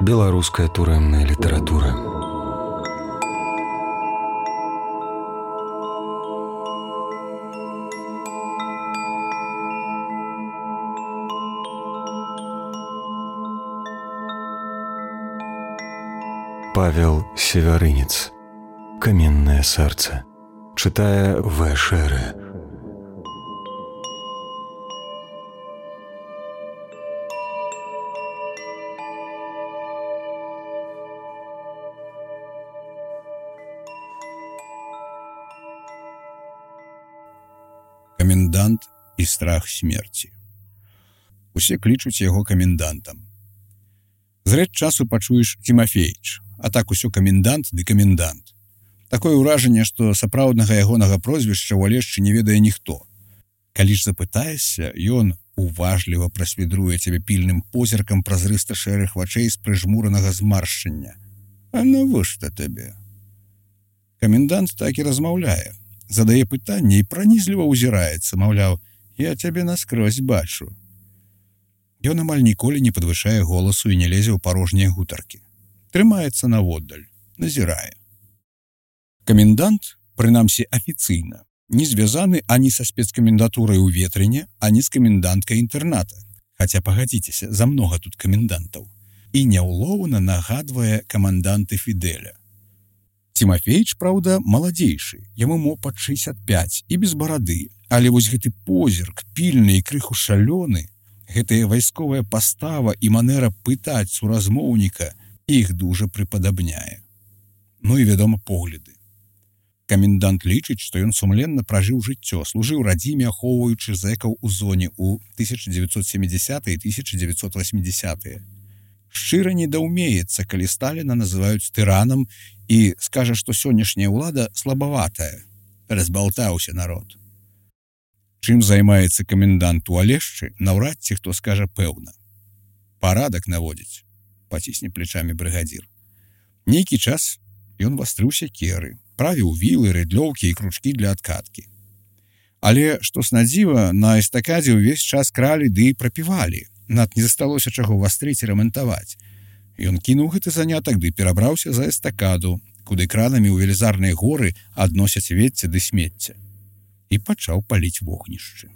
Беларуская турэмная літаратура. Павел Севярынец. Каменное сердце. Читая В. Шере. Камендант і страх смерці. Усе клічуць яго камендантам. Зрэд часу пачуеш Тимофеич, а так усё камендант ды камендант. Такое ўражанне, што сапраўднага ягонага прозвішча ў Алешчы не ведае ніхто. Калі ж запытаешся, ён уважліва прасвідруе цябе пільным позіркам празрыста-шэрых вачэй з прыжмуранага змаршчання. А навошта табе? Камендант так і размаўляе. Задае пытанне і пранізліва ўзіраецца, маўляў, я цябе наскрозь бачу. Ён амаль ніколі не падвышае голасу і не лезе ў парожнія гутаркі. Трымаецца наводдаль, назірае. Камендант, прынамсі афіцыйна, не звязаны ані са спецкамендатурай у Ветрыне, ані з каменданткай інтэрната. Хаця, пагадзіцеся, замнога тут камендантаў. І няўлоўна нагадвае каманданты Фідэля. Тимофеич, праўда, маладзейшы, яму мо пад 65 і без барады, але вось гэты позірк, пільны і крыху шалёны, гэтая вайсковая пастава і манера пытаць суразмоўніка іх дужа прыпадабняе. Ну і, вядома, погляды. Камендант лічыць, што ён сумленна пражыў жыццё, служыў радзіме, ахоўваючы зэкаў у зоне ў 1970-е і 1980-е. Шчыра недаўмеецца, калі Сталіна называюць тыранам і скажа, што сённяшняя ўлада слабаватая. Разбалтаўся народ. Чым займаецца камендант у Алешчы, наўрад ці хто скажа пэўна. Парадак наводзіць, пацісне плечамі брыгадзір. Нейкі час ён вастрыў сякеры, правіў вілы, рыдлёўкі і кручкі для адкаткі. Але, што снадзіва, на эстакадзе ўвесь час кралі ды прапівалі. Над не засталося чаго вастрыць і рамантаваць. Ён кінуў гэты занятак ды перабраўся за эстакаду, куды кранамі ў велізарныя горы адносяць вецце ды смецце. І пачаў паліць вогнішчы.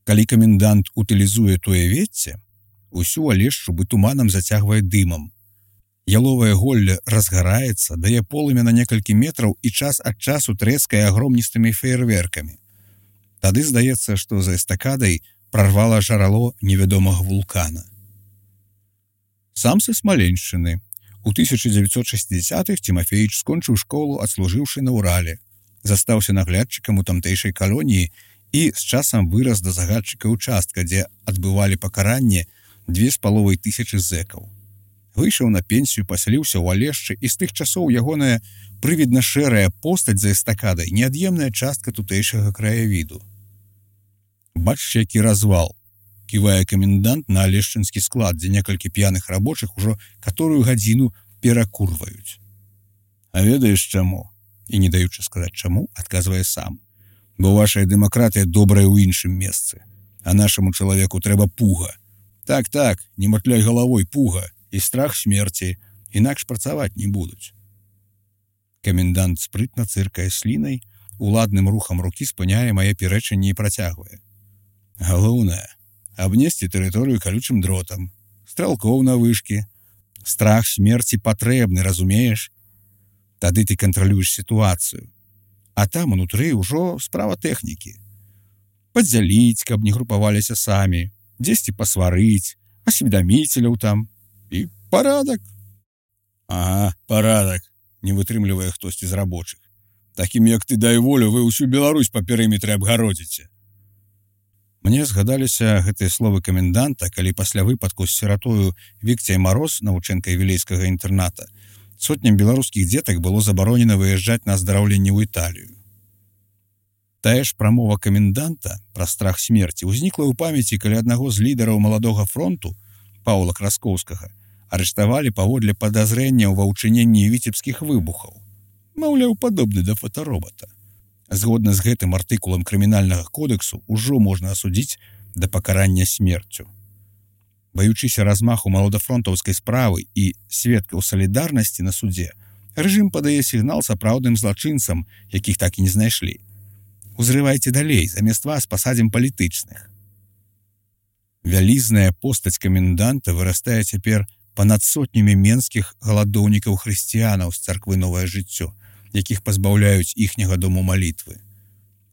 Калі камендант утылізуе тое вецце, усю Алешчу бы туманам зацягвае дымам. Яловае голле разгараецца, дае полымя на некалькі метраў і час ад часу трэскае агромністымі феерверкамі. Тады здаецца, што за эстакадай прорвала жарало невядомага вулкана. Сам са Смаленшчыны. У 1960-х Тимофеич скончыў школу, адслужыўшы на Урале. Застаўся наглядчыкам у тамтэйшай калоніі і з часам вырас да загадчыка ўчастка, дзе адбывалі пакаранне 2500 зэкаў. Выйшаў на пенсію, пасяліўся ў Алешчы, і з тых часоў ягоная прывідна-шэрая постаць за эстакадай неад'емная частка тутэйшага краявіду. Бачыш, які развал, ківае камендант на алешчынскі склад, дзе некалькі п'яных рабочых ужо каторую гадзіну перакурваюць. А ведаеш чаму? І не даючы сказаць чаму, адказвае сам. Бо вашая дэмакратыя добрая ў іншым месцы, а нашаму чалавеку трэба пуга. Так, не матляй галавой, пуга і страх смерці, інакш працаваць не будуць. Камендант спрытна цыркае слінай, уладным рухам рукі спыняе мае пярэчанне і працягвае. Галоўнае — абнесці тэрыторыю калючым дротам, стралкоў на вышкі. Страх смерці патрэбны, разумееш? Тады ты кантралюеш сітуацыю. А там унутры ўжо справа тэхнікі. Падзяліць, каб не групаваліся самі, дзесьці пасварыць, асведаміцеляў там. І парадак. Ага, парадак, не вытрымлівае хтосьці з рабочых. Такім, як ты, дай волю, вы ўсю Беларусь па перыметры абгародзіце. Мне згадаліся гэтыя словы каменданта, калі пасля выпадку з сіратою Вікцяй Мароз, навучэнкай вілейскага інтэрната, сотням беларускіх дзетак было забаронена выязджаць на аздараўленне ў Італію. Тая ж прамова каменданта пра страх смерці ўзнікла ў памяці, калі аднаго з лідараў маладога фронту, Паўла Краскоўскага, арыштавалі паводле падазрэнняў ва ўчыненні віцебскіх выбухаў. Маўляў, падобны да фотаробата. Згодна з гэтым артыкулам крымінальнага кодэксу ўжо можна асудзіць да пакарання смерцю. Баючыся размаху маладафронтаўскай справы і сведкаў салідарнасці на судзе, рэжым падае сігнал сапраўдным злачынцам, якіх так і не знайшлі. Узрывайце далей, замест вас пасадзім палітычных. Вялізная постаць каменданта вырастае цяпер панад сотнямі менскіх галадоўнікаў хрысціянаў з царквы «Новае жыццё», якіх пазбаўляюць іхняга дому малітвы.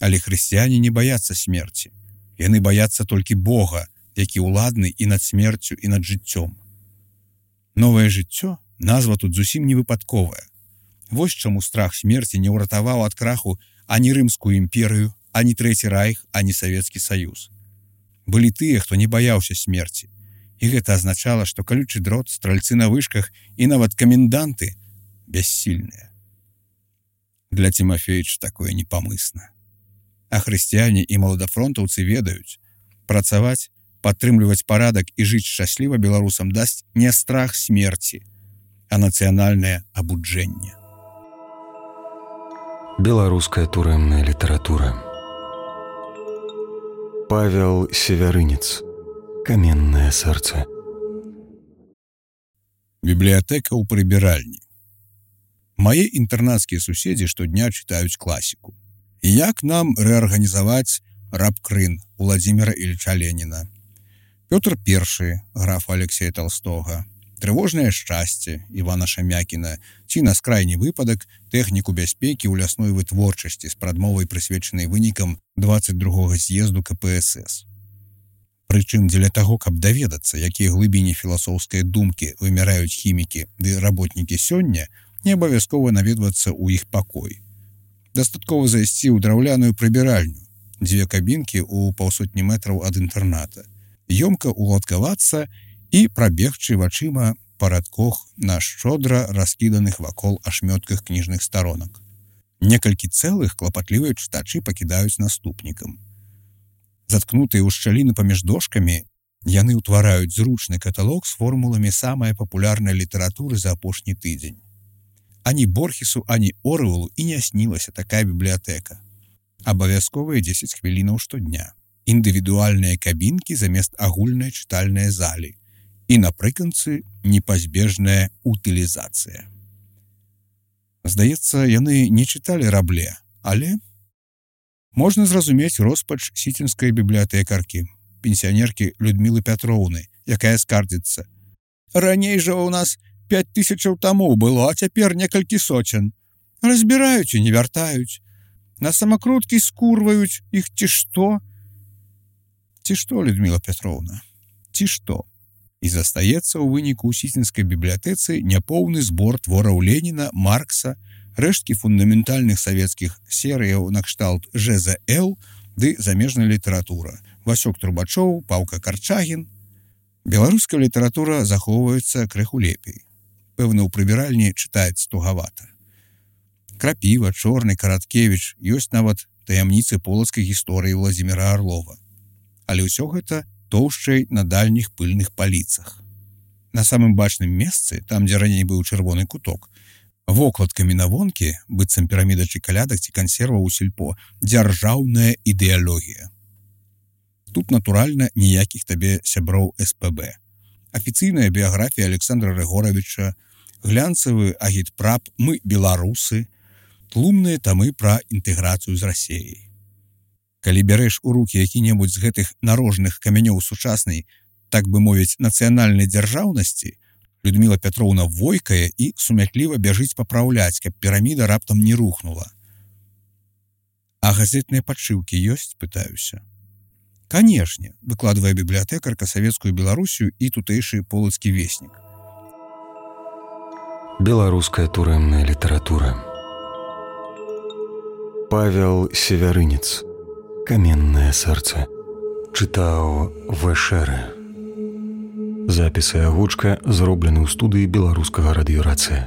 Але хрысціяне не баяцца смерці. Яны баяцца толькі Бога, які ўладны і над смерцю, і над жыццём. «Новае жыццё» назва тут зусім не выпадковая. Вось чаму страх смерці не ўратаваў ад краху ані Рымскую імперыю, ані Трэці райх, ані Савецкі Саюз. Былі тыя, хто не баяўся смерці. І гэта азначала, што калючы дрот, стральцы на вышках і нават каменданты бяссільныя. Для Тимофеевича такое непамысна. А хрысціяне і маладафронтаўцы ведаюць, працаваць, падтрымліваць парадак і жыць шчасліва беларусам дасць не страх смерці, а нацыянальнае абуджэнне. Беларуская турэмная літаратура. Павел Севярынец. Каменнае сэрца. Бібліятэка ў прыбіральні. Мае інтэрнацкія суседзі штодня чытаюць класіку. Як нам рэарганізаваць рабкрын Владзіміра Ільча Леніна, Пётр I графа Алексея Толстога, Трывожнае шчасце Івана Шамякіна ці на скрайні выпадак тэхніку бяспекі ў лясной вытворчасці з прадмовай прысвечанай вынікам 22-го з'езду КПСС. Прычым дзеля таго, каб даведацца, якія глыбіні філасофскай думкі вымяраюць хімікі ды работнікі сёння, не абавязкова наведвацца ў іх пакой. Дастаткова зайсці ў драўляную прыбіральню, 2 кабінкі ў 150 метраў ад інтэрната, ёмка уладкавацца і прабегчы вачыма па радкох на шчодра раскіданых вакол ашмётках кніжных старонак. Некалькі цэлых клапатлівыя чытачы пакідаюць наступнікам. Заткнутыя ў шчаліны паміж дошкамі, яны ўтвараюць зручны каталог з формуламі самай папулярнай літаратуры за апошні тыдзень. Ані Борхесу, ані Оруэлу і не снілася такая бібліятэка. Абавязковыя 10 хвілінаў штодня. Індывідуальныя кабінкі замест агульнай чытальнай залі. І напрыканцы непазбежная утылізацыя. Здаецца, яны не чыталі Рабле, але можна зразумець роспач сіцінскай бібліятэкаркі, пенсіянеркі Людмілы Пятроўны, якая скардзіцца. Раней жа ў нас 5000 тамоў было, а цяпер некалькі сотен. Разбіраюць і не вяртаюць. На самакруткі скурваюць іх ці што? Ці што, Людміла Пятроўна? Ці што? І застаецца ў выніку ў сіцінскай бібліятэцы няпоўны збор твораў Леніна, Маркса, рэшткі фундаментальных савецкіх серыяў накшталт ЖЗЛ ды замежная літаратура, Васёк Трубачоў, Паўка Карчагін. Беларуская літаратура захоўваецца крыху лепей. Пэўна, ў прыбіральні чытаецца тугавата. Крапіва, Чорны, Караткевіч, ёсць нават таямніцы полацкай гісторыі Владзіміра Арлова. Але ўсё гэта тоўшчай на дальніх пыльных паліцах. На самым бачным месцы, там, дзе раней быў чырвоны куток, вокладкамі на вонкі, быццам піраміда ці калядак ці кансерваў у сельпо, дзяржаўная ідэалогія. Тут, натуральна, ніякіх табе сяброў СПБ. Афіцыйная біяграфія Александра Рыгоравіча, глянцавы агітпрап «Мы беларусы», тлумныя тамы пра інтэграцыю з Расіяй. Калі бярэш у рукі які-небудзь з гэтых нарожных камянёў сучаснай, так бы мовіць, нацыянальнай дзяржаўнасці, Людміла Пятроўна войкае і сумятліва бяжыць папраўляць, каб піраміда раптам не рухнула. А газетныя падшыўкі ёсць, пытаюся. Канешне, выкладвае бібліятэкарка савецкую Беларусію і тутэйшы полацкі веснік. Беларуская турэмная літаратура. Павел Севярынец. Каменнае сэрца. Чытаў ВШР. Запісы агучка зроблены ў студыі беларускага радыёрацыя.